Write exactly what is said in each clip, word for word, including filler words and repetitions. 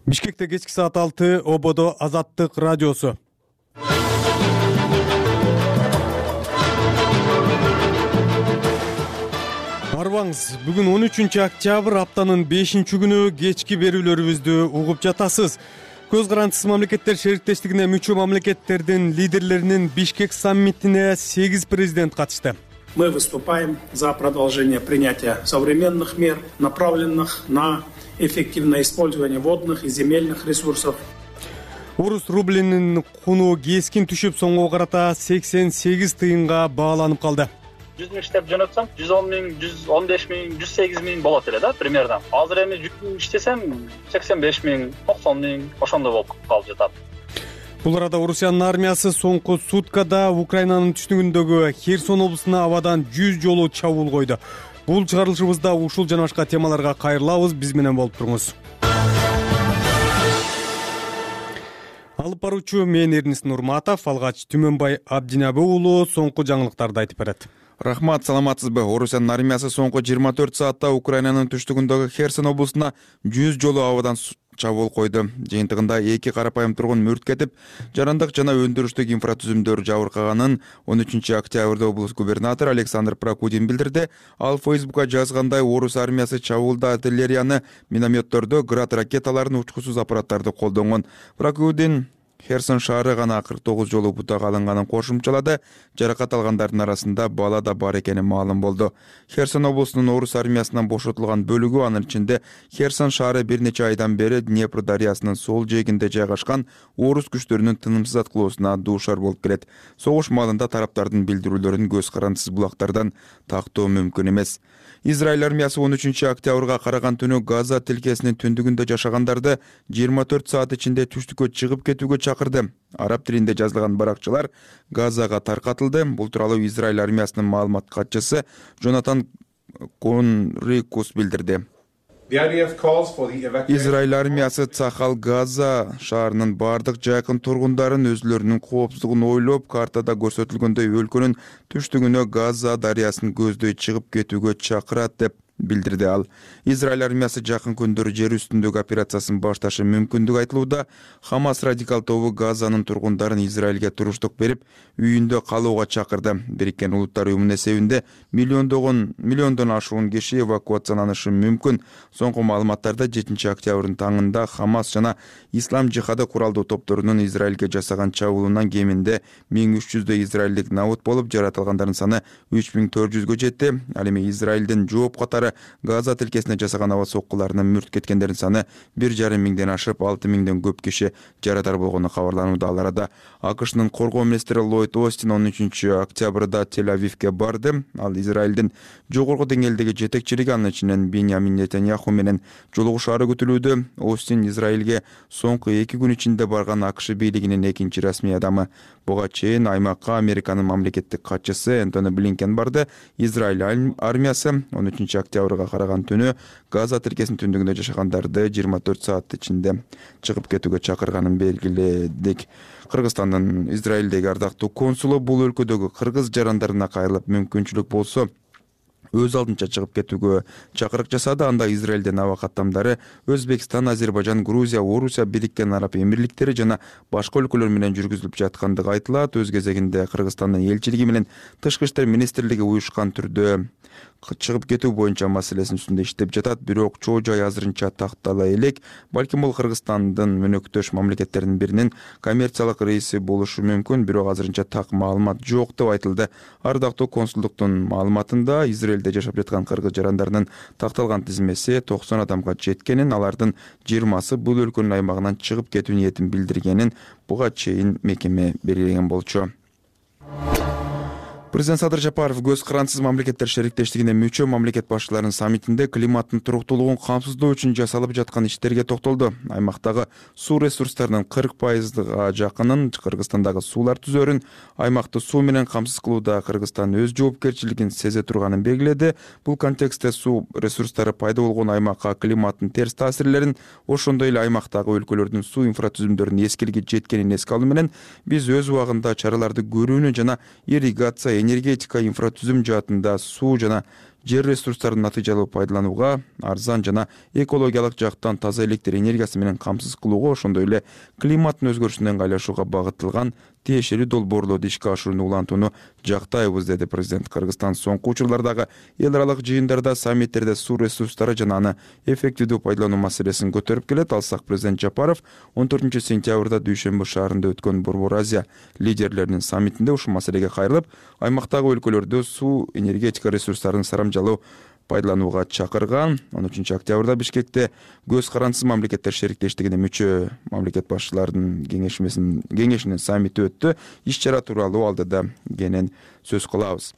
Бишкекте кечки саат алты, Ободо Азаттык радиосу. Арбаңыз, бүгүн он үчүнчү октябрь, аптанын бешинчи күнү, кечки берүүлөрүбүздү угуп жатасыз. Көз карандысыз мамлекеттер шериктештигине мүчө мамлекеттердин лидерлеринин Бишкек саммитине сегиз президент катышты. Мы выступаем за продолжение принятия современных мер, направленных на эффективное использование водных и земельных ресурсов. Орус рублинин куну кескин түшүп, соңго карата сексен сегиз тыйынга бааланып калды. жүз миң иштеп жөнөтсөм, жүз он миң, жүз он беш миң, жүз сегиз миң болот эле да, примерно. Азыр эми жүз миң иштесем, сексен беш миң, токсон миң, ошондой болуп калып жатат. Бул арада Орусиянын армиясы соңку суткада Украинанын түштүгүндөгү Херсон облусуна абадан жүз жолу чабуул койду. Бул чыгарылышыбызда ушул жана башка темаларга кайрылабыз, биз менен болуп туруңуз. Алып баруучу мен Эрнис Нурматов, алгач Түмөнбай Абдинабы уулу соңку жаңылыктарды айтып берет. Рахмат, саламатсызбы? Орусиянын армиясы соңку жыйырма төрт саатта Украинанын түштүгүндөгү Херсон облусуна жүз жолу абадан чабуул койду. Жыйынтыгында эки карапайым тургун мүрт кетип, жарандык жана өндүрүштүк инфратүзүмдөр жабыркаганын он үчүнчү октябрда облус губернатору Александр Прокудин билдирди. Ал Фейсбукка жазгандай, орус армиясы чабуулда артиллерияны, минометторду, град ракеталарын, учкусуз аппараттарды колдонгон. Прокудин Херсон шаары гана кырк тогуз жолу бутага алынганын кошумчалады. Жаракат алгандардын арасында бала да бар экени маалым болду. Херсон облусунун орус армиясынан бошотулган бөлүгү, анын ичинде Херсон шаары бир нече айдан бери Днепр дарыясынын сол жээгинде жайгашкан орус күчтөрүнүн тынымсыз аткылоосуна дуушар болуп келет. Согуш маалында тараптардын билдирүүлөрүн көз карандысыз булактардан тактоо мүмкүн эмес. Израиль армиясы он үчүнчү октябрга караган түнү Газа тилкесинин түндүгүндө жашагандарды жыйырма төрт саат ичинде түштүккө чыгып кетүүгө чакырды. Араб тилинде жазылган баракчалар Газага таркатылды. Бул тууралуу Израиль армиясынын маалымат катчысы Джонатан Конрикус билдирди. Израиль армиясы Цахал Газа шаарынын бардык жакын тургундарын өзүлөрүнүн коопсуздугун ойлоп, картада көрсөтүлгөндөй өлкөнүн түштүгүнө Газа дарыясын көздөй чыгып кетүүгө чакырат деп билдирди ал. Израиль армиясы жакын күндөрү жер үстүндөгү операциясын башташы мүмкүндүгү айтылууда. Хамас радикал тобу Газанын тургундарын Израилге туруштук берип, үйүндө калууга чакырды. Бириккен Улуттар уюмунун эсебинде миллиондогон миллиондон ашуун киши эвакуацияланышы мүмкүн. Соңку маалыматтарда жетинчи октябрдын таңында Хамас жана Ислам жихады куралдуу топторунун Израилге жасаган чабуулунан кеминде миң үч жүздөй израилдик набут болуп, жаратылгандардын саны үч миң төрт жүзгө жетти. Ал эми Израилдин жооп катары Газа тилкесине жасаган аба соккуларынан мүрт кеткендердин саны бир жарым миңден ашып, алты миңден көп киши жарадар болгону кабарланууда. Ал арада АКШнын коргоо министри Ллойд Остин он үчүнчү октябрда Тель-Авивге барды. Ал Израилдин жогорку деңгээлдеги жетекчилиги, анын ичинен Биньямин Нетаньяху менен жолугушаары күтүлүүдө. Остин Израилге соңку эки күн ичинде барган АКШ бийлигинин экинчи расмий адамы. Буга чейин аймакка Американын мамлекеттик катчысы Энтони Блинкен барды. Израиль армиясы он үчүнчү октябрга караган түнү Газа тилкесинин түндүгүндө жашагандарды жыйырма төрт саат ичинде чыгып кетүүгө чакырганын белгиледик. Кыргызстандын Израилдеги ардактуу консулу бул өлкөдөгү кыргыз жарандарына кайрылып, мүмкүнчүлүк болсо өз алдынча чыгып кетүүгө чакырык жасады. Анда Израилден аба каттамдары Өзбекстан, Азербайжан, Грузия, Орусия, Бириккен Араб Эмирликтери жана башка өлкөлөр менен жүргүзүлүп жаткандыгы айтылат. Өз кезегинде Кыргызстандын элчилиги менен Тышкы иштер министрлиги уюшкан түрдө чыгып кетүү боюнча маселесинин үстүндө иштеп жатат. Бирок чоо жай азырынча тактала элек. Балким бул Кыргызстандын өнөктөш мамлекеттеринин биринин коммерциялык рейси болушу мүмкүн, бирок азырынча так маалымат жок деп айтылды. Ардактуу консулдуктун маалыматында Израилде жашап жаткан кыргыз жарандарынын такталган тизмеси токсон адамга жеткенин, алардын жыйырмасы бул өлкөнүн аймагынан чыгып кетүү ниетин билдиргенин буга чейин мекеме белгилеген болчу. Президент Садыр Жапаров көз карандысыз мамлекеттер шериктештигине мүчө мамлекет башчыларынын саммитинде климаттын туруктуулугун камсыздоо үчүн жасалып жаткан иштерге токтолду. Аймактагы суу ресурстарынын кырк пайызга жакынын Кыргызстандагы суулар түзөрүн, аймакты суу менен камсыз кылууда Кыргызстан өз жоопкерчилигин сезе турганын белгиледи. Бул контекстте суу ресурстары пайда болгон аймакка климаттын терс таасирлерин, ошондой эле аймактагы өлкөлөрдүн суу инфратүзүмдөрүнүн эскилиги жеткенин эске алуу менен биз өз убагында чараларды көрүүнү жана ирригация энергетика инфратүзүм жаатында суу жана жер ресурстарын натыйжалуу пайдаланууга, арзан жана экологиялык жактан таза электр энергиясы менен камсыз кылууга, ошондой эле климаттын өзгөрүшүнө ыңгайлашууга багытталган тиешелүү долбоорлорду ишке ашырууну улантууну жактайбыз, деди президент. Кыргызстан соңку учурлардагы эл аралык жыйындарда, саммиттерде суу ресурстары жана аны эффективдүү пайдалануу маселесин көтөрүп келет. Алсак, президент Жапаров он төртүнчү сентябрда Дүйшөмбү шаарында өткөн Борбор Азия лидерлеринин саммитинде ушул маселеге кайрылып, аймактагы өлкөлөрдө суу энергетика ресурстарын сарамжалуу пайдаланууга чакырган. он үчүнчү октябрда Бишкекте көз карандысыз мамлекеттер шериктештигине мүчө мамлекет башчыларынын кеңешинин саммити өттү. Иш-чара тууралуу алдыда кенен сөз кылабыз.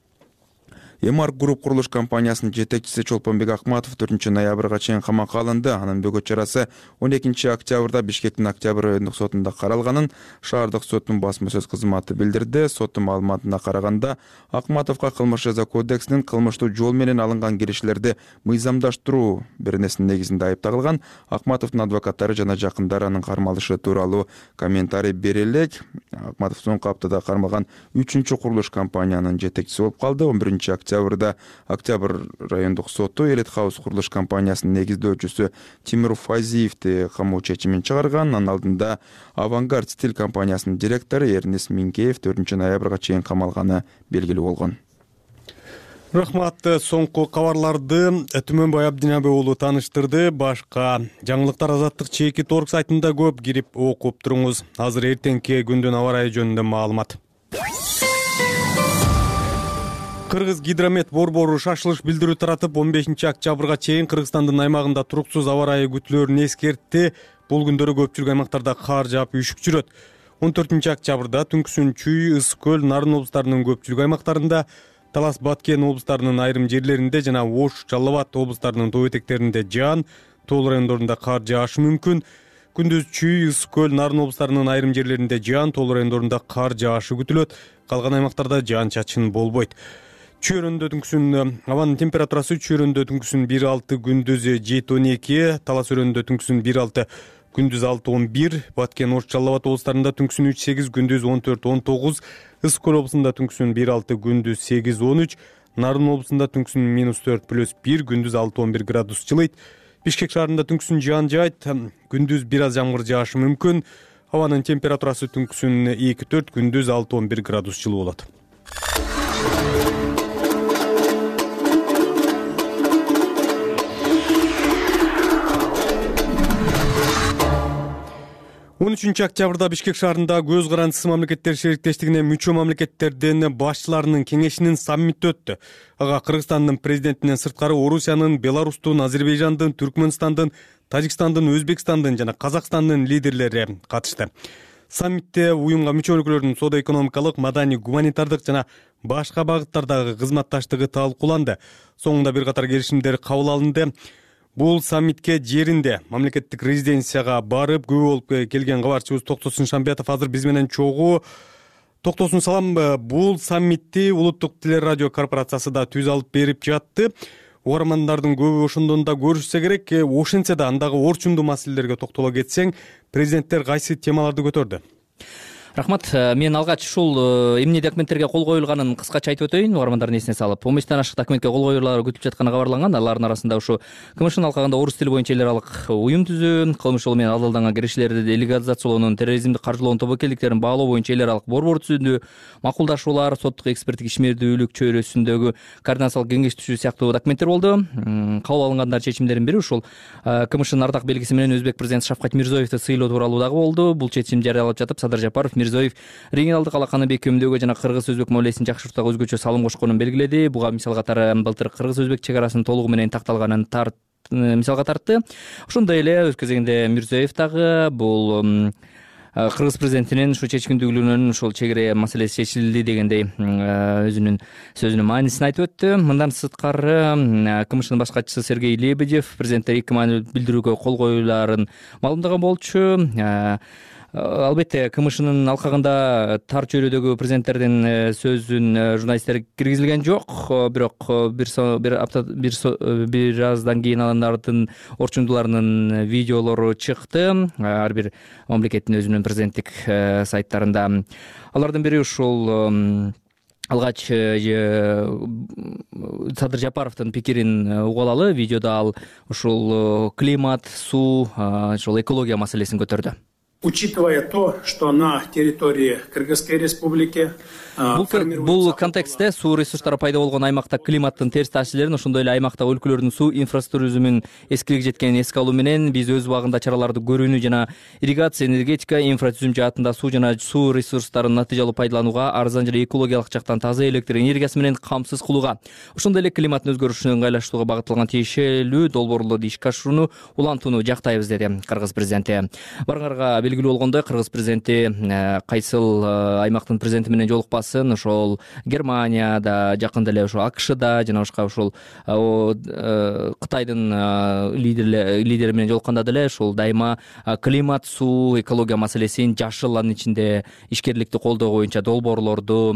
Эмарк Груп курулуш компаниясынын жетекчиси Чолпонбек Акматов төртүнчү ноябрга чейин камакка алынды. Анын бөгөт чарасы он экинчи октябрда Бишкектин Октябрь райондук сотунда каралганын шаардык соттун басма сөз кызматы билдирди. Соттун маалыматына караганда, Акматовго Кылмыш жаза кодексинин кылмыштуу жол менен алынган кириштерди мыйзамдаштыруу беренесинин негизинде айып тагылган. Акматовдун адвокаттары жана жакындары анын кармалышы тууралуу комментарий бере элек. Акматов соңку аптада кармалган үчүнчү курулуш компаниянын жетекчиси болуп калды. он биринчи октябрда Октябрь райондук соту Элит Хаус курулуш компаниясынын негиздөөчүсү Тимур Файзиевди камоо чечимин чыгарган. Анын алдында Авангард Стиль компаниясынын директору Эрнис Минкеев төртүнчү ноябрга чейин камалганы белгилүү болгон. Рахмат. Соңку кабарларды Түмөнбай Абдинабек уулу тааныштырды. Башка жаңылыктар Азаттык чеки торг сайтында көп, кирип окуп туруңуз. Азыр эртеңки күндүн аба ырайы жөнүндө маалымат. Кыргыз гидромет борбору шашылыш билдирүү таратып, он бешинчи октябрга чейин Кыргызстандын аймагында туруксуз аба ырайы күтүлөөрүн эскертти. Бул күндөрү көпчүлүк аймактарда кар жаап, үшүк жүрөт. он төртүнчү октябрда Түнкүсүн, Чүй, Ысык көл, Нарын облустарынын көпчүлүк аймактарында, Талас, Баткен облустарынын айрым жерлеринде жана Ош, Жалал Абад облустарынын тоо этектеринде жаан, тоо райондорунда кар жаашы мүмкүн. Күндүз Чүй, Ысык көл, Нарын облустарынын айрым жерлеринде жаан, тоо райондорунда кар жаашы күтүлөт. Калган аймактарда жаан-чачын болбойт. Чүйрөндө түнкүсүн абанын температурасы чүйрөндө түнкүсүн бир алты, күндүз жети он эки, Талас өрөндө түнкүсүн бир алты, күндүз алты он бир, Баткен, Ош, Жалал Абад облустарында түнкүсүн үч сегиз, күндүз он төрт он тогуз, Ысык көл облусунда түнкүсүн бир алты, күндүз сегиз он үч, Нарын облусунда түнкүсүн минус төрт плюс бир, күндүз алты он бир градус жылыйт. Бишкек шаарында түнкүсүн жаан жаайт, күндүз бир аз жамгыр жаашы мүмкүн. Абанын температурасы түнкүсүн эки төрт, күндүз алты он бир градус жылуу болот. он үчүнчү октябрда Бишкек шаарында көз карандысыз мамлекеттер шериктештигине мүчө мамлекеттердин башчыларынын кеңешинин саммити өттү. Ага Кыргызстандын президентинен сырткары Орусиянын, Беларустун, Азербайжандын, Түркмөнстандын, Тажикстандын, Өзбекстандын жана Казакстандын лидерлери катышты. Саммитте уюмга мүчө өлкөлөрдүн соода-экономикалык, маданий, гуманитардык жана башка багыттардагы кызматташтыгы талкууланды. Соңунда бир катар келишимдер кабыл алынды. Бул саммитке жеринде мамлекеттик резиденцияга барып күбө болуп келген кабарчыбыз Токтосун Шамбетов азыр биз менен чогуу. Токтосун, салам. Бул саммитти Улуттук телерадио корпорациясы да түз алып берип жатты. Угармандардын көбү ошондон да көрүшсө керек. Ошентсе да андагы орчундуу маселелерге токтоло кетсең, президенттер кайсы темаларды көтөрдү? Рахмат. Мен алгач ушул эмне документтерге кол коюлганын кыскача айтып өтөйүн, угармандардын эсине салып. он бештен ашык документке кол коюлары күтүлүп жатканы кабарланган. Алардын арасында ушу КМШнын алкагында орус тили боюнча эл аралык уюм түзүү, кылмыш жолу менен алдалданган кириштерди делегациялоонун, терроризмди каржылоонун тобокелдиктерин баалоо боюнча эл аралык борбор түзүүдө макулдашуулар, соттук эксперттик ишмердүүлүк чөйрөсүндөгү координациялык кеңеш түзүү сыяктуу документтер болду. Кабыл алынгандар чечимдердин бири ушул КМШнын ардак белгиси менен өзбек президенти Шавкат Мирзиёевди сыйлоо тууралуу дагы болду. Бул чечим жарыялап жатып, Садыр Жапаров Мирзиёев регионалдык алаканы бекемдөөгө жана кыргыз-өзбек мамилесин жакшыртууга өзгөчө салым кошконун белгиледи. Буга мисал катары былтыр кыргыз-өзбек чек арасын толугу менен такталганын тарт мисалга тартты. Ошондой эле өз кезегинде Мирзиёев дагы бул кыргыз президентинин ушу чечкиндүүлүгүнөн ушул чек ара маселеси чечилди дегендей өзүнүн сөзүнүн маанисин айтып өттү. Мындан сырткары КМШнын баш катчысы Сергей Лебедев президентке эки маанилүү билдирүүгө кол коюуларын маалымдаган болчу. Албетте КМШнын алкагында тар чөйрөдөгү президенттердин сөзүн журналисттер киргизилген жок, бирок бир бир апта бир бир аздан кийин алардын орчундууларынын видеолору чыкты. Ар бир мамлекеттин өзүнүн президенттик сайттарында. Алардын бири ушул алгач Садыр Жапаровдун пикирин угуп алалы. Видеодо ал ушул климат, суу, ушул экология маселесин көтөрдү. Учитывая то, что на территории Кыргызской республики бул контекстте суу ресурстары пайда болгон аймакта климаттын терс таасирлерин, ошондой эле аймактагы өлкөлөрдүн суу инфраструктурасынын эскилиги жеткенин эске алуу менен биз өз убагында чараларды көрүүнү жана ирригация, энергетика, инфратүзүм жаатында суу жана суу ресурстарын натыйжалуу пайдаланууга, арзан жана экологиялык жактан таза электр энергиясы менен камсыз кылууга, ошондой эле климаттын өзгөрүшүнө ыңгайлаштырууга багытталган тиешелүү долбоорлорду ишке ашырууну улантууну жактайбыз, деди Кыргыз президенти. Барыңарга белгилүү болгондой, Кыргыз президенти кайсыл аймактын президенти менен жолукпасын, ошол Германияда, жакында эле ошол АКШда жана башка ушул Кытайдын лидери менен жолукканда деле ушул дайыма климат, суу, экология маселесин, жашыл, анын ичинде ишкерликти колдоо боюнча долбоорлорду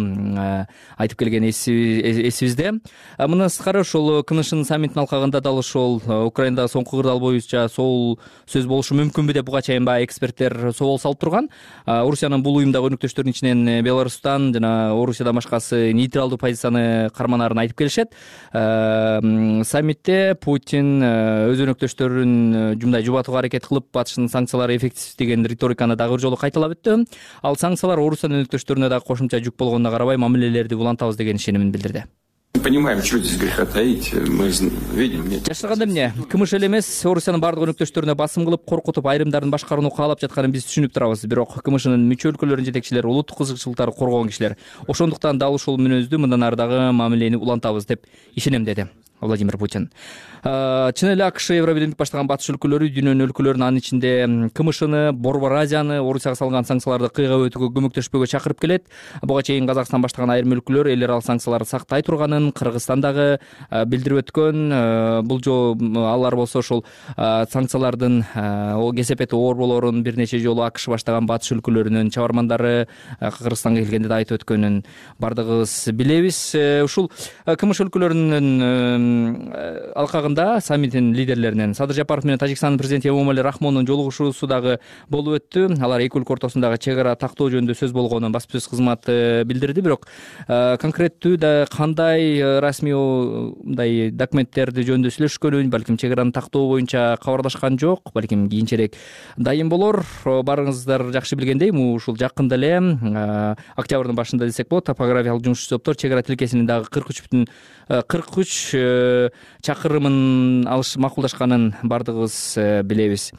айтып келген эсибизде. Мындан сырткары ушул КНШнын саммитинин алкагында дал ушул Украинадагы соңку кырдаал боюнча сол сөз болушу мүмкүнбү деп буга чейин баягы эксперттер собол салып турган. Орусиянын бул уюмдагы өнөктөштөрүнүн ичинен Беларустан жана Орусиядан башкасы нейтралдуу позицияны карманаарын айтып келишет. Саммитте Путин өз өнөктөштөрүн жумдай жубатууга аракет кылып, батыштын санкциялары эффективсиз деген риториканы дагы бир жолу кайталап өттү. Ал санкциялар Орусиянын өнөктөштөрүнө дагы кошумча жүк болгонуна карабай мамилелерди улантабыз деген ишенимин билдирди. Понимаем, что здесь греха таить, мы видим. Жашырганда эмне КМШ эле эмес, Орусиянын бардык өнөктөштөрүнө басым кылып, коркутуп, айрымдарын башкарууну каалап жатканын биз түшүнүп турабыз. Бирок КМШнын мүчө өлкөлөрүнүн жетекчилери улуттук кызыкчылыктарды коргогон кишилер. Ошондуктан дал ушул мүнөздү мындан ары дагы мамилени улантабыз деп ишенем, деди Владимир Путин. Чын эле АКШ, Евробирдик баштаган батыш өлкөлөрү дүйнөнүн өлкөлөрүн, анын ичинде КМШны, Борбор Азияны Орусияга салган санкцияларды кыйгап өтүүгө көмөктөшпөгө чакырып келет. Буга чейин Казакстан баштаган айрым өлкөлөр эл аралык санкцияларды сактай турганын Кыргызстандагы билдирип өткөн. Бул жолу алар болсо ушул санкциялардын кесепети оор болоорун бир нече жолу АКШ баштаган батыш өлкөлөрүнүн чабармандары Кыргызстанга келгенде да айтып өткөнүн бардыгыбыз билебиз. Ушул КМШ өлкөлөрүнүн алкагында саммиттин лидерлеринен Садыр Жапаров менен Тажикстандын президенти Эмомали Рахмондун жолугушуусу дагы болуп өттү. Алар эки өлкө ортосундагы чек ара тактоо жөнүндө сөз болгонун басма сөз кызматы билдирди. Бирок конкреттүү да кандай расмий мындай документтерди жөнүндө сүйлөшкөнүн, балким чек араны тактоо боюнча кабарлашкан жок, балким кийинчерээк дайым болор. Барыңыздар жакшы билгендей, ушул жакында эле октябрдын башында десек болот, топографиялык жумушчу топтор чек ара тилкесинин дагы кырк үч бүтүн кырк үч чакырымын алыш макулдашканын бардыгыбыз билебиз.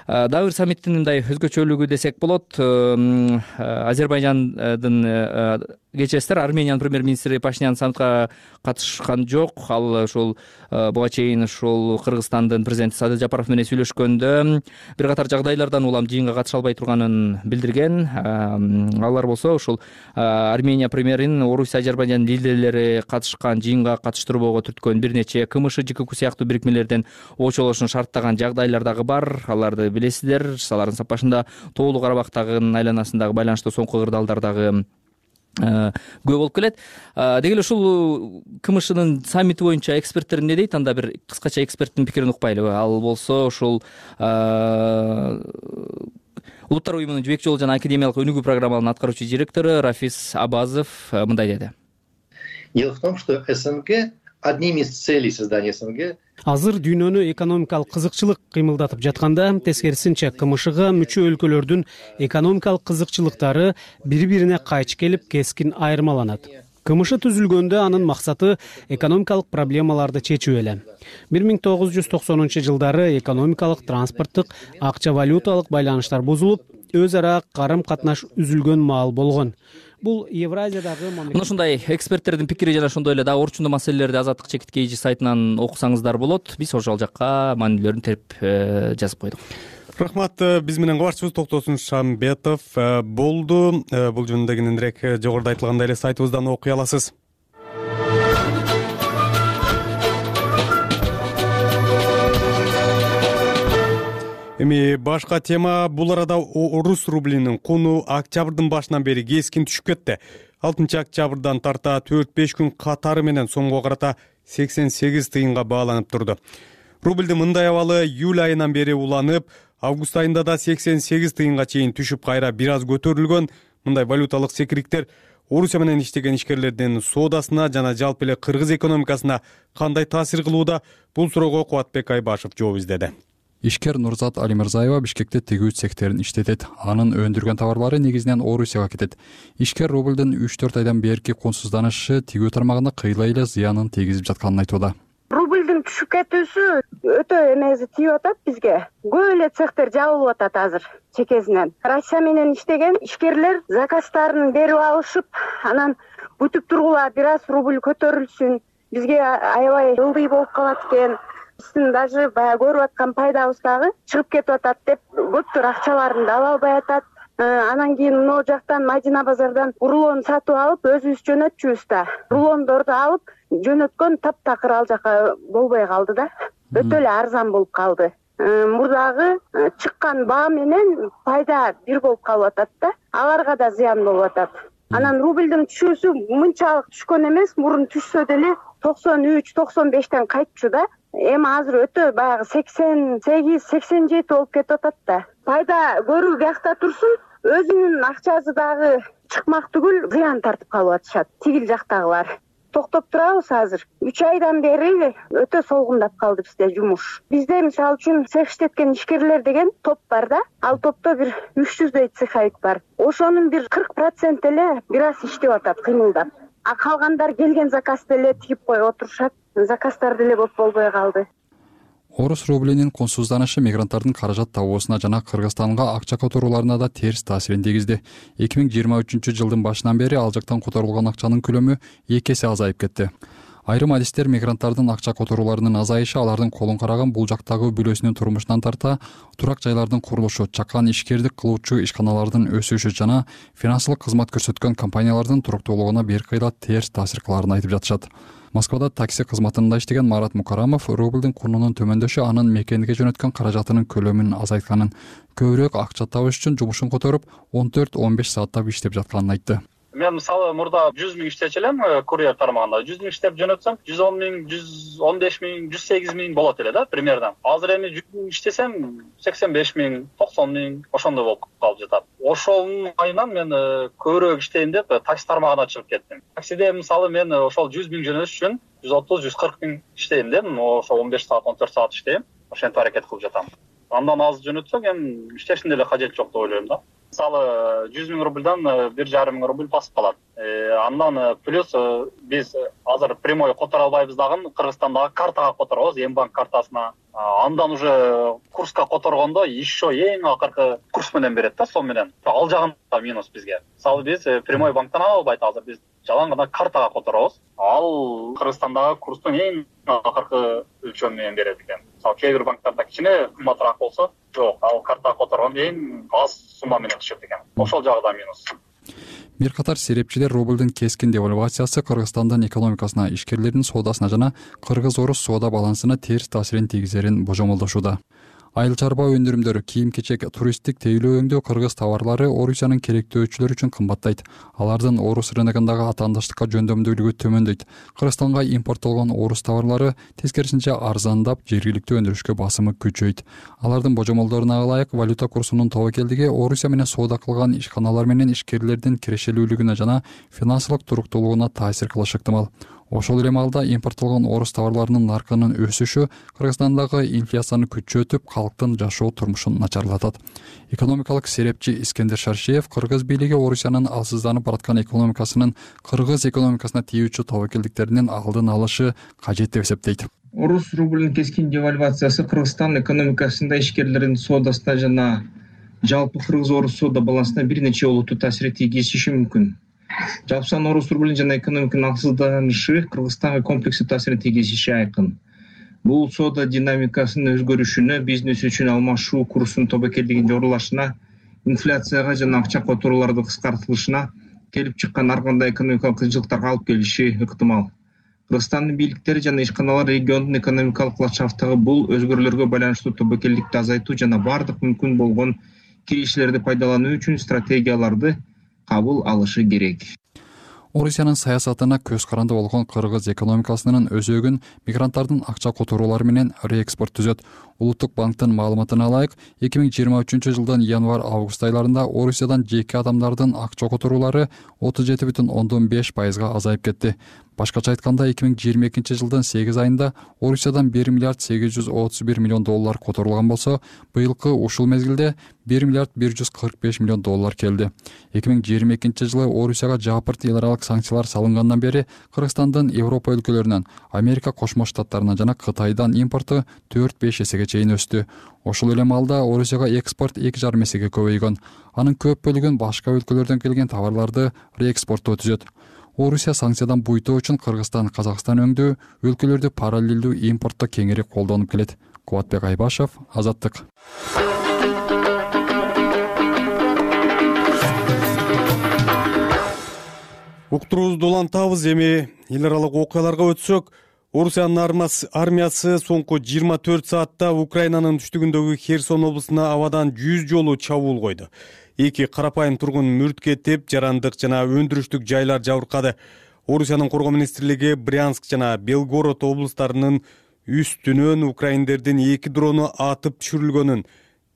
Дагы бир саммиттин мындай өзгөчөлүгү десек болот. Азербайжандын кечесиздер, Армениянын премьер-министри Пашинян саммитка катышкан жок. Ал ушул буга чейин ушул Кыргызстандын президенти Садыр Жапаров менен сүйлөшкөндө бир катар жагдайлардан улам жыйынга катыша албай турганын билдирген. Алар болсо ушул Армения премьерин Орусия, Азербайжан лидерлери катышкан жыйынга катыштырбоого түрткөн бир нече КМШ, ЖКК сыяктуу бирикмелерден очолошун шарттаган жагдайлар дагы бар. Аларды билесиздер. Алардын сапашында Тоолуу Карабактагы айланасындагы байланыштуу соңку кырдаалдар дагы көп болуп келет. Деги эле ушул КМШнын саммити боюнча эксперттер эмне дейт? Анда бир кыскача эксперттин пикирин укпайлыбы? Ал болсо ушул Улуттар уюмунун жибек жолу жана академиялык өнүгүү программаларынын аткаруучу директору Рафис Абазов мындай деди. Дело в том, что СНГ, одним из целей создания СНГ азыр дүйнөнү экономикалык кызыкчылык кыймылдатып жатканда, тескерисинче КМШга мүчө өлкөлөрдүн экономикалык кызыкчылыктары бири-бирине кайчы келип, кескин айырмаланат. КМШ түзүлгөндө анын максаты экономикалык проблемаларды чечүү эле. бир миң тогуз жүз токсонунчу жылдары экономикалык, транспорттук, акча валюталык байланыштар бузулуп, өз ара карым-катнаш үзүлгөн маал болгон. Бул Евразиядагы мына ушундай эксперттердин пикири жана ошондой эле дагы орчундуу маселелерди Азаттык чекит kg сайтынан окусаңыздар болот. Биз ошол жакка маанилүүлөрүн терип жазып койдук. Рахмат. Биз менен кабарчыбыз Токтосун Шамбетов болду. Бул жөнүндө кененирээк жогоруда айтылгандай эле сайтыбыздан окуй аласыз. Эми башка тема, бул арада орус рублинин куну октябрдын башынан бери кескин түшүп кетти. алтынчы октябрдан тарта төрт беш күн катары менен сомго карата сексен сегиз тыйынга бааланып турду. Рубльдин мындай абалы июль айынан бери уланып, август айында да сексен сегиз тыйынга чейин түшүп, кайра бир аз көтөрүлгөн. Мындай валюталык секириктер Орусия менен иштеген ишкерлердин соодасына жана жалпы эле кыргыз экономикасына кандай таасир кылууда? Бул суроого Кубатбек Айбашев жооп издеди. Ишкер Нурзат Алимырзаева Бишкекте тигүү цехтерин иштетет. Анын өндүргөн товарлары негизинен Орусияга кетет. Ишкер рублдун үч төрт айдан берки консузданышы тигүү тармагына кыйла эле зыянын тийгизип жатканын айтууда. Рублдун түшүп кетүүсү өтө эмеси тийип атат бизге. Көп эле цехтер жабылып атат азыр чекесинен. Россия менен иштеген ишкерлер заказдарын берип алышып, анан бүтүп тургула бир аз рубль көтөрүлсүн, бизге аябай ылдый болуп калат экен. Биздин даже баягы көрүп аткан пайдабыз дагы чыгып кетип атат деп көптөр акчаларын да ала албай атат. Анан кийин могу жактан Мадина базардан рулон сатып алып өзүбүз жөнөтчүбүз да. Рулондорду алып жөнөткөн таптакыр ал жака болбой калды да. Өтө эле арзан болуп калды. Мурдагы чыккан баа менен пайда бир болуп калып атат да. Аларга да зыян болуп атат. Анан рублдун түшүүсү мынчалык түшкөн эмес, мурун түшсө деле токсон үч токсон бештен кайтчу да. Эми азыр өтө баягы сексен сегиз сексен жети болуп кетип атат да. Пайда көрүү биякта турсун, өзүнүн акчасы дагы чыкмак түгүл зыян тартып калып атышат тигил жактагылар. Токтоп турабыз азыр. үч айдан бери өтө солгундап калды бизде жумуш. Бизде мисалы үчүн цех иштеткен ишкерлер деген топ бар да. Ал топто бир үч жүздөй цеховик бар. Ошонун бир кырк процент эле бир аз иштеп атат, кыймылдап. А калгандар келген заказды эле тигип коюп отурушат. Заказдар деле көп болбой калды. Орус рублинин консузданышы мигранттардын каражат табуусуна жана Кыргызстанга акча которууларына да терс таасирин тийгизди. эки миң жыйырма үчүнчү жылдын башынан бери ал жактан которулган акчанын көлөмү эки эсе азайып кетти. Айрым адистер мигранттардын акча которууларынын азайышы алардын колун караган бул жактагы бүлөсүнүн турмушунан тарта турак жайлардын курулушу, чакан ишкердик кылуучу ишканалардын өсүшү жана финансылык кызмат көрсөткөн компаниялардын туруктуулугуна бир кыйла терс таасир кылаарын айтып жатышат. Москвада такси кызматында иштеген Марат Мукарамов рублдун курунун төмөндөшү анын мекенге жөнөткөн каражатынын көлөмүн азайтканын, көбүрөөк акча табыш үчүн жумушун которуп он төрт он беш сааттап иштеп жатканын айтты. Мен мисалы мурда жүз миң иштечү элем курьер тармагында. жүз миң иштеп жөнөтсөм, жүз он миң, жүз он беш миң, жүз сегиз миң болот эле да примерно. Азыр эми жүз миң иштесем, сексен беш миң, токсон миң ошондой болуп калып жатат. Ошонун айынан мен көбүрөөк иштейин деп такси тармагына чыгып кеттим. Таксиде мисалы мен ошол жүз миң жөнөтүш үчүн жүз отуз жүз кырк миң иштейм дедим. Ошо он беш саат, он төрт саат иштейм. Ошентип аракет кылып жатам. Андан аз жөнөтсөк эми иштештин деле кажети жок деп ойлойм да. Мисалы жүз миң рубльдан бир жарым миң рубль басып калат. Андан плюс биз азыр прямой которо албайбыз дагы, Кыргызстандагы картага которобуз, Мбанк картасына. Андан уже курска которгондо еще эң акыркы курс менен берет да, сом менен. Ал жагында минус бизге. Мисалы биз прямой банктан ала албайт азыр, биз жалаң гана картага которобуз. Ал Кыргызстандагы курстун эң акыркы өлчөмү менен берет экен. Мисалы кээ бир банктарда кичине кымбатыраак болсо, жок, ал картага которгондо эң аз сумма менен түшөт экен. Ошол жагы да минус. Бир катар серепчилер рублдун кескин девальвациясы Кыргызстандын экономикасына, ишкерлердин соодасына жана кыргыз-орус соода балансына терс таасирин тийгизерин божомолдошууда. Айыл чарба өндүрүмдөрү, кийим-кечек, туристтик тейлөө өңдөө кыргыз товарлары Орусиянын керектөөчүлөрү үчүн кымбаттайт. Алардын орус рыногундагы атаандаштыкка жөндөмдүүлүгү төмөндөйт. Кыргызстанга импорттолгон орус товарлары тескерисинче арзандап, жергиликтүү өндүрүшкө басымы күчөйт. Алардын божомолдоруна ылайык валюта курсунун тобокелдиги Орусия менен соода кылган ишканалар менен ишкерлердин кирешелүүлүгүнө жана финансылык туруктуулугуна таасир кылышы ыктымал. Ошол эле маалда импорттолгон орус товарларынын наркынын өсүшү Кыргызстандагы инфляцияны күчөтүп, калктын жашоо турмушун начарлатат. Экономикалык серепчи Искендер Шаршиев кыргыз бийлиги Орусиянын алсызданып бараткан экономикасынын кыргыз экономикасына тийүүчү тобокелдиктеринин алдын алышы кажет деп эсептейт. Орус рублинин кескин девальвациясы Кыргызстан экономикасында ишкерлердин соодасына жана жалпы кыргыз-орус соода балансына бир нече олуттуу таасир тийгизиши мүмкүн. Жалпсан орус рублин жана экономиканын алсызданышы Кыргызстанга комплекстүү таасирин тийгизиши айкын. Бул соода динамикасынын өзгөрүшүнө, бизнес үчүн алмашуу курсунун тобокелдигинин жогорулашына, инфляцияга жана акча которуулардын кыскартылышына келип чыккан ар кандай экономикалык кыйынчылыктарга алып келиши ыктымал. Кыргызстандын бийликтери жана ишканалар региондун экономикалык ландшафтындагы бул өзгөрүүлөргө байланыштуу тобокелдикти азайтуу жана бардык мүмкүн болгон кириштерди пайдалануу үчүн стратегияларды кабыл алышы керек. Орусиянын саясатына көз каранды болгон кыргыз экономикасынын өзөгүн мигранттардын акча которуулары менен реэкспорт түзөт. Улуттук банктын маалыматына ылайык, эки миң жыйырма үчүнчү жылдын январь-август айларында Орусиядан жеке адамдардын акча которуулары отуз жети бүтүн ондон беш пайызга азайып кетти. Башкача айтканда, эки миң жыйырма экинчи жылдын сегиз айында Орусиядан бир миллиард сегиз жүз отуз бир миллион доллар которулган болсо, быйылкы ушул мезгилде бир миллиард бир жүз кырк беш миллион доллар келди. эки миң жыйырма экинчи жылы Орусияга жапырт эл аралык санкциялар салынгандан бери Кыргызстандын Европа өлкөлөрүнөн, Америка Кошмо Штаттарынан жана Кытайдан импорту төрт-беш эсеге чейин өстү. Ошол эле маалда Орусияга экспорт эки жарым эсеге көбөйгөн. Анын көп бөлүгүн башка өлкөлөрдөн келген товарларды реэкспорттоо түзөт. Орусия санкциядан буйтоо үчүн Кыргызстан, Казакстан өңдүү өлкөлөрдү параллелдүү импортто кеңири колдонуп келет. Кубатбек Айбашев, Азаттык. Уктуруубузду улантабыз. Эми эл аралык окуяларга өтсөк, Орусиянын армиясы соңку жыйырма төрт саатта Украинанын түштүгүндөгү Херсон облусуна абадан жүз жолу чабуул койду. Эки карапайым тургун мүрт кетип, жарандык жана өндүрүштүк жайлар жабыркады. Орусиянын коргоо министрлиги Брянск жана Белгород облустарынын үстүнөн украиндердин эки дрону атып түшүрүлгөнүн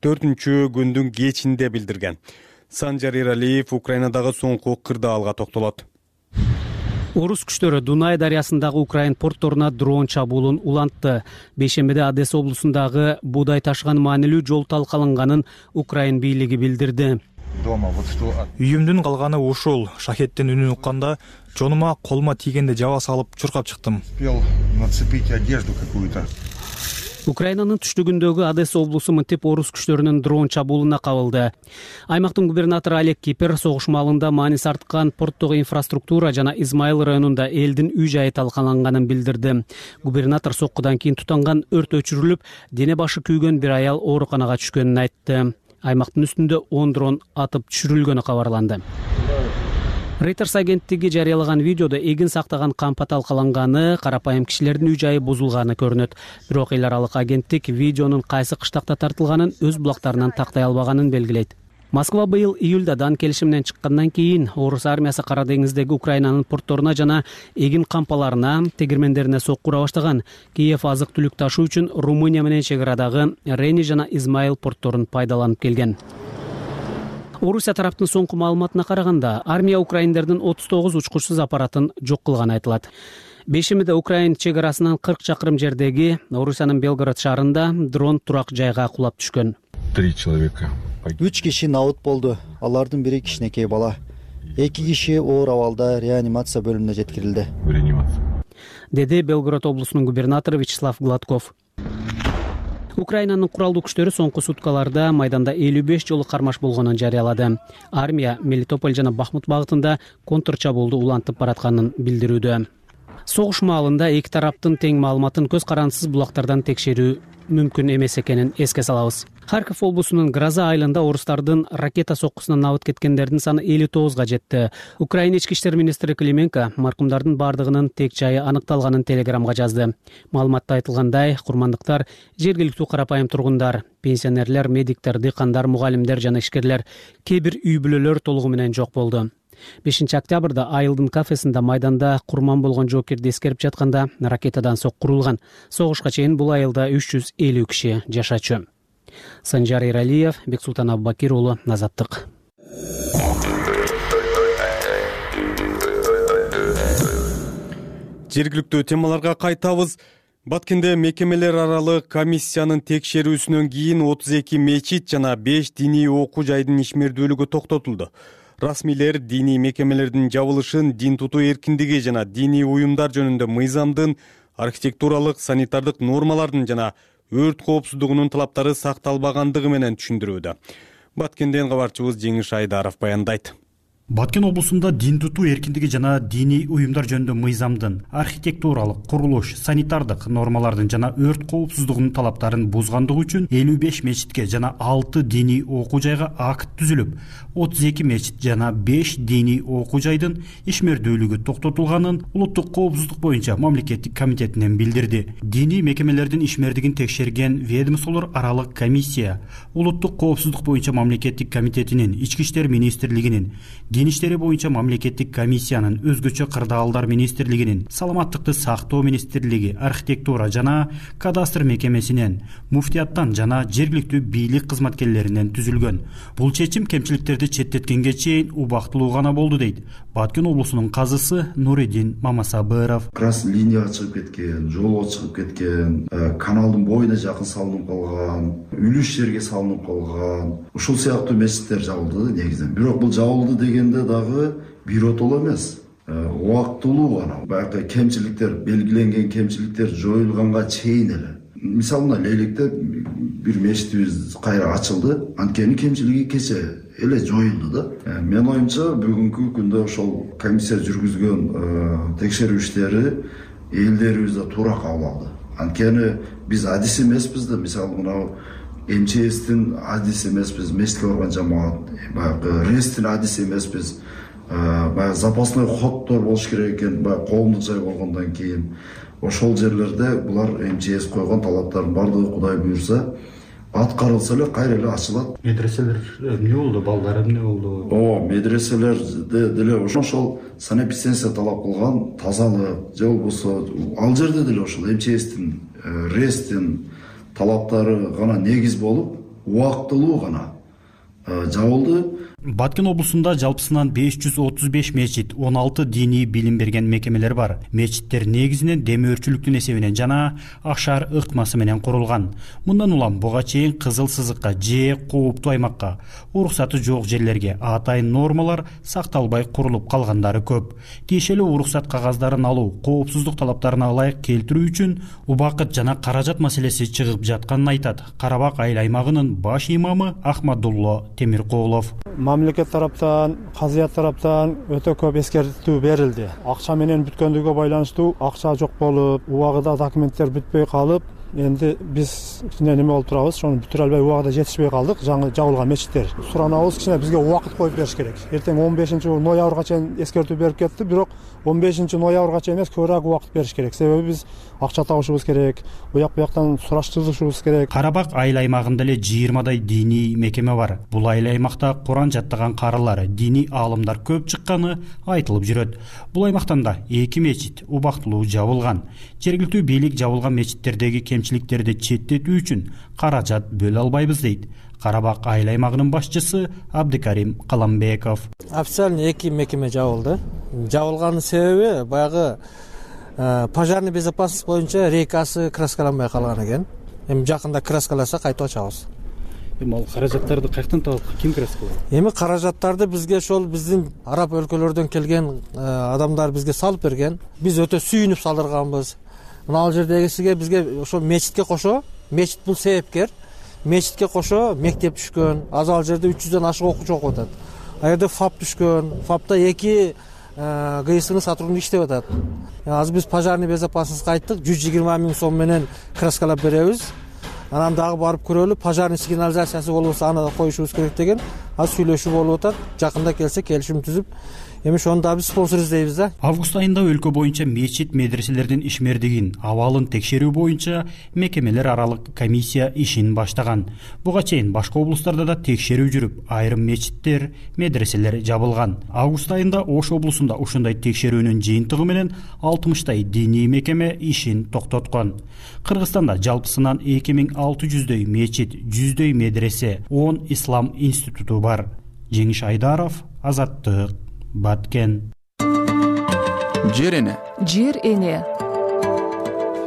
төртүнчү күндүн кечинде билдирген. Санжар Эралиев Украинадагы соңку кырдаалга токтолот. Орус күчтөрү Дунай дарыясындагы Украин портторуна дрон чабуулун улантты. Бейшембиде Одесса облусундагы буудай ташыган маанилүү жол талкаланганын Украин бийлиги билдирди. Үйүмдүн калганы ушул. Шахеттин үнүн укканда жонума колума тийгенде жаба салып чуркап чыктым. Украинанын түштүгүндөгү Одесса облусу мынтип орус күчтөрүнүн дрон чабуулуна кабылды. Аймактын губернатору Олег Кипер согуш маалында мааниси арткан порттогу инфраструктура жана Измаил районунда элдин үй жайы талкаланганын билдирди. Губернатор соккудан кийин тутанган өрт өчүрүлүп, дене башы күйгөн бир аял ооруканага түшкөнүн айтты. Аймактын үстүндө он дрон атып түшүрүлгөнү кабарланды. Reuters агенттиги жарыялаган видеодо эгин сактаган кампа талкаланганы, карапайым кишилердин үй жайы бузулганы көрүнөт. Бирок эл аралык агенттик видеонун кайсы кыштакта тартылганын өз булактарынан тактай албаганын белгилейт. Москва быйыл июлда дан келишиминен чыккандан кийин Орус армиясы Кара деңиздеги Украинанын портторуна жана эгин кампаларына, тегирмендерине сокку ура баштаган. Киев азык-түлүк ташуу үчүн Румыния менен чек арадагы Рени жана Измаил портторун пайдаланып келген. Орусия тараптын соңку маалыматына караганда, армия украиндердин отуз тогуз учкучсуз аппаратын жок кылганы айтылат. Бейшембиде Украин чек арасынан кырк чакырым жердеги Орусиянын Белгород шаарында дрон турак жайга кулап түшкөн. Три человека. Үч киши наут болду. Алардын бири кичинекей бала. Эки киши оор абалда реанимация бөлүмүнө жеткирилди. Деди Белгород облусунун губернатору Вячеслав Гладков. Украинанын куралдуу күчтөрү соңку суткаларда майданда элүү беш жолу кармаш болгонун жарыялады. Армия Мелитополь жана Бахмут багытында контр чабуулду улантып баратканын билдирүүдө. Согуш маалында эки тараптын тең маалыматын көз карандысыз булактардан текшерүү мүмкүн эмес экенин эске салабыз. Харьков облусунун Гроза айылында орустардын ракета соккусунан набыт кеткендердин саны элүү тогузга жетти. Украина ички иштер министри Клименко маркумдардын бардыгынын тек жайы аныкталганын телеграмга жазды. Маалыматта айтылгандай, курмандыктар жергиликтүү карапайым тургундар, пенсионерлер, медиктер, дыйкандар, мугалимдер жана ишкерлер, кээ бир үй бүлөлөр толугу менен жок болду. бешинчи октябрда айылдын кафесинде майданда курман болгон жоокерди эскерип жатканда ракетадан сокку урулган. Согушка чейин бул айылда үч жүз элүү киши жашачу. Санжар Эралиев, Бексултан Абубакир уулу, Азаттык. Жергиликтүү темаларга кайтабыз. Баткенде мекемелер аралык комиссиянын текшерүүсүнөн кийин отуз эки мечит жана беш диний окуу жайдын ишмердүүлүгү токтотулду. Расмийлер диний мекемелердин жабылышын дин тутуу эркиндиги жана диний уюмдар жөнүндө мыйзамдын, архитектуралык, санитардык нормалардын жана өрт коопсуздугунун талаптары сакталбагандыгы менен түшүндүрүүдө. Баткенден кабарчыбыз Жеңиш Айдаров баяндайт. Баткен облусунда дин тутуу эркиндиги жана диний уюмдар жөнүндө мыйзамдын, архитектуралык, курулуш, санитардык нормалардын жана өрт коопсуздугунун талаптарын бузгандыгы үчүн элүү беш мечитке жана алты диний окуу жайга акт түзүлүп, отуз эки мечит жана беш диний окуу жайдын ишмердүүлүгү токтотулганын улуттук коопсуздук боюнча мамлекеттик комитетинен билдирди. Диний мекемелердин ишмердигин текшерген ведомстволор аралык комиссия улуттук коопсуздук боюнча мамлекеттик комитетинин, ички иштер министрлигинин, дин иштери боюнча мамлекеттик комиссиянын, өзгөчө кырдаалдар министрлигинин, саламаттыкты сактоо министрлиги, архитектура жана кадастр мекемесинен, муфтияттан жана жергиликтүү бийлик кызматкерлеринен түзүлгөн. Бул чечим кемчиликтерди четтеткенге чейин убактылуу гана болду дейт Баткен облусунун казысы Нуридин Мамасабыров. Крас линияга чыгып кеткен, жолго чыгып кеткен, каналдын боюна жакын салынып калган, үлүш жерге салынып калган, ушул сыяктуу мечиттер жабылды негизинен. Бирок бул жабылды дегенде дагы биротоло эмес, убактылуу гана. Баягы кемчиликтер, белгиленген кемчиликтер жоюлганга чейин эле. Мисалы мына Лейликте бир мечитибиз кайра ачылды, анткени кемчилиги кече эле жоюлду да. Мен оюмча бүгүнкү күндө ошол комиссия жүргүзгөн текшерүү иштери элдерибизде туура кабыл алды. Анткени биз адис эмеспиз да, мисалы мына эм че эстин адис эмеспиз, мечитке барган жамаат, баягы рестин адис эмеспиз. Баягы запасной ходдор болуш керек экен, баягы коомдук жай болгондон кийин. Ошол жерлерде булар эм че эс койгон талаптардын бардыгы Кудай буйрса аткарылса эле кайра эле ачылат. Медреселер эмне болду? Балдар эмне болду? Ооба, медреселерде деле ошол санэпидемия талап кылган тазалык же болбосо ал жерде деле ошол эм че эстин, рестин талаптары гана негиз болуп, убактылуу гана жабылды. Баткен облусунда жалпысынан беш жүз отуз беш мечит, он алты диний билим берген мекемелер бар. Мечиттер негизинен демөөрчүлүктүн эсебинен жана ашар ыкмасы менен курулган. Мындан улам буга чейин кызыл сызыкка же кооптуу аймакка, уруксаты жок жерлерге атайын нормалар сакталбай курулуп калгандары көп. Тиешелүү уруксат кагаздарын алуу, коопсуздук талаптарына ылайык келтирүү үчүн убакыт жана каражат маселеси чыгып жатканын айтат Карабак айыл аймагынын баш имамы Ахмадулло Темиркулов. Мамлекет тараптан, казыят тараптан өтө көп эскертүү берилди. Акча менен бүткөндүгү байланыштуу акча жок болуп, убагында документтер бүтпөй калып, энди биз кичине неме болуп турабыз, ошону бүтүрө албай убагында жетишпей калдык. Жаңы жабылган мечиттер. Суранабыз, кичине бизге убакыт коюп бериш керек. Эртең он бешинчи ноябрга чейин эскертүү берип кетти, бирок он бешинчи ноябрга чейин эмес, көбүрөөк убакыт бериш керек. Себеби биз акча табышыбыз керек, буяк буяктан сураштырышыбыз керек. Карабак айыл аймагында эле жыйырмадай диний мекеме бар. Бул айыл аймакта Куран жаттаган карылар, диний аалымдар көп чыкканы айтылып жүрөт. Бул аймактан да эки мечит убактылуу жабылган. Жергиликтүү бийлик жабылган мечиттердеги кемчиликтерди четтетүү үчүн каражат бөлө албайбыз дейт Карабак айыл аймагынын башчысы Абдыкарим Каламбеков. Официально эки мекеме жабылды. Жабылганын себеби баягы пожарный безопасность боюнча рейкасы краскаланбай калган экен. Эми жакында краскаласа кайтып ачабыз. Эми ал каражаттарды каяктан табып, ким краскалайт? Эми каражаттарды бизге ошол биздин араб өлкөлөрдөн келген адамдар бизге салып берген. Биз өтө сүйүнүп салдырганбыз. Мына ал жердегисиге бизге ошо мечитке кошо, мечит бул себепкер. Мечитке кошо мектеп түшкөн. Азыр ал жерде үч жүздөн ашык окуучу окуп атат. А жерде ФАП түшкөн. ФАПта эки ГСН сотрудник иштеп атат. Азыр биз пожарный безопасность айттык, жүз жыйырма миң сом менен краскалап беребиз. Анан дагы барып көрөлү, пожарный сигнализациясы болбосо аны да коюшубуз керек деген. Азыр сүйлөшүү болуп атат. Жакында келсе келишим түзүп, эми ошону да биз спонсор издейбиз да. Август айында өлкө боюнча мечит медреселердин ишмердигин, абалын текшерүү боюнча мекемелер аралык комиссия ишин баштаган. Буга чейин башка облустарда да текшерүү жүрүп, айрым мечиттер, медреселер жабылган. Август айында Ош облусунда ушундай текшерүүнүн жыйынтыгы менен алтымыштай диний мекеме ишин токтоткон. Кыргызстанда жалпысынан эки миң алты жүздөй мечит, жүздөй медресе, он ислам институту бар. Жеңиш Айдаров, Азаттык, Баткен. Жер эне. Жер эне.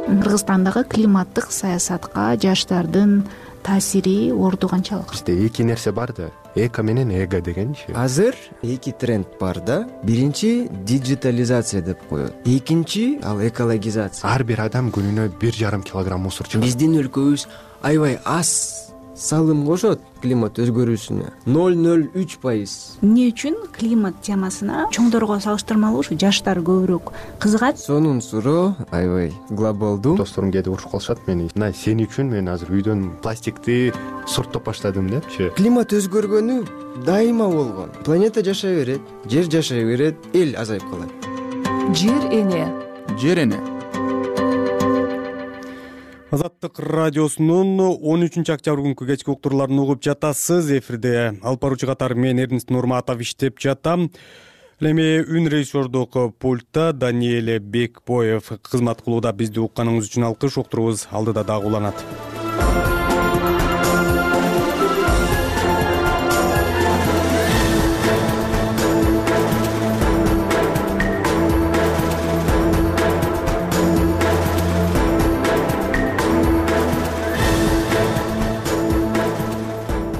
Кыргызстандагы климаттык саясатка жаштардын таасири орду канчалык? Бизде эки нерсе бар да, эко менен эго дегенчи. Азыр эки тренд бар да. Биринчи диджитализация деп коет. Экинчи ал экологизация. Ар бир адам күнүнө бир жарым килограмм мусор чыгарат. Биздин өлкөбүз аябай аз салым кошот климат өзгөрүүсүнө. ноль ноль үч пайыз. Эмне үчүн климат темасына чоңдорго салыштырмалуу ушу жаштар көбүрөөк кызыгат? Сонун суроо аябай глобалдуу. Досторум келип урушуп калышат мени. Мына сен үчүн мен азыр үйдөн пластикти сорттоп баштадым депчи. Климат өзгөргөнү дайыма болгон. Планета жашай берет, жер жашай берет, эл азайып калат. Жер эне. Жер эне. Азаттык радиосунун он үчүнчү октябрь күнкү кечки уктурууларын угуп жатасыз. Эфирде алып баруучу катары мен Эрнест Нурматов иштеп жатам. Эми үн режиссердук пультта Даниэле Бекбоев кызмат кылууда. Бизди укканыңыз үчүн алкыш. Уктуруубуз алдыда дагы уланат.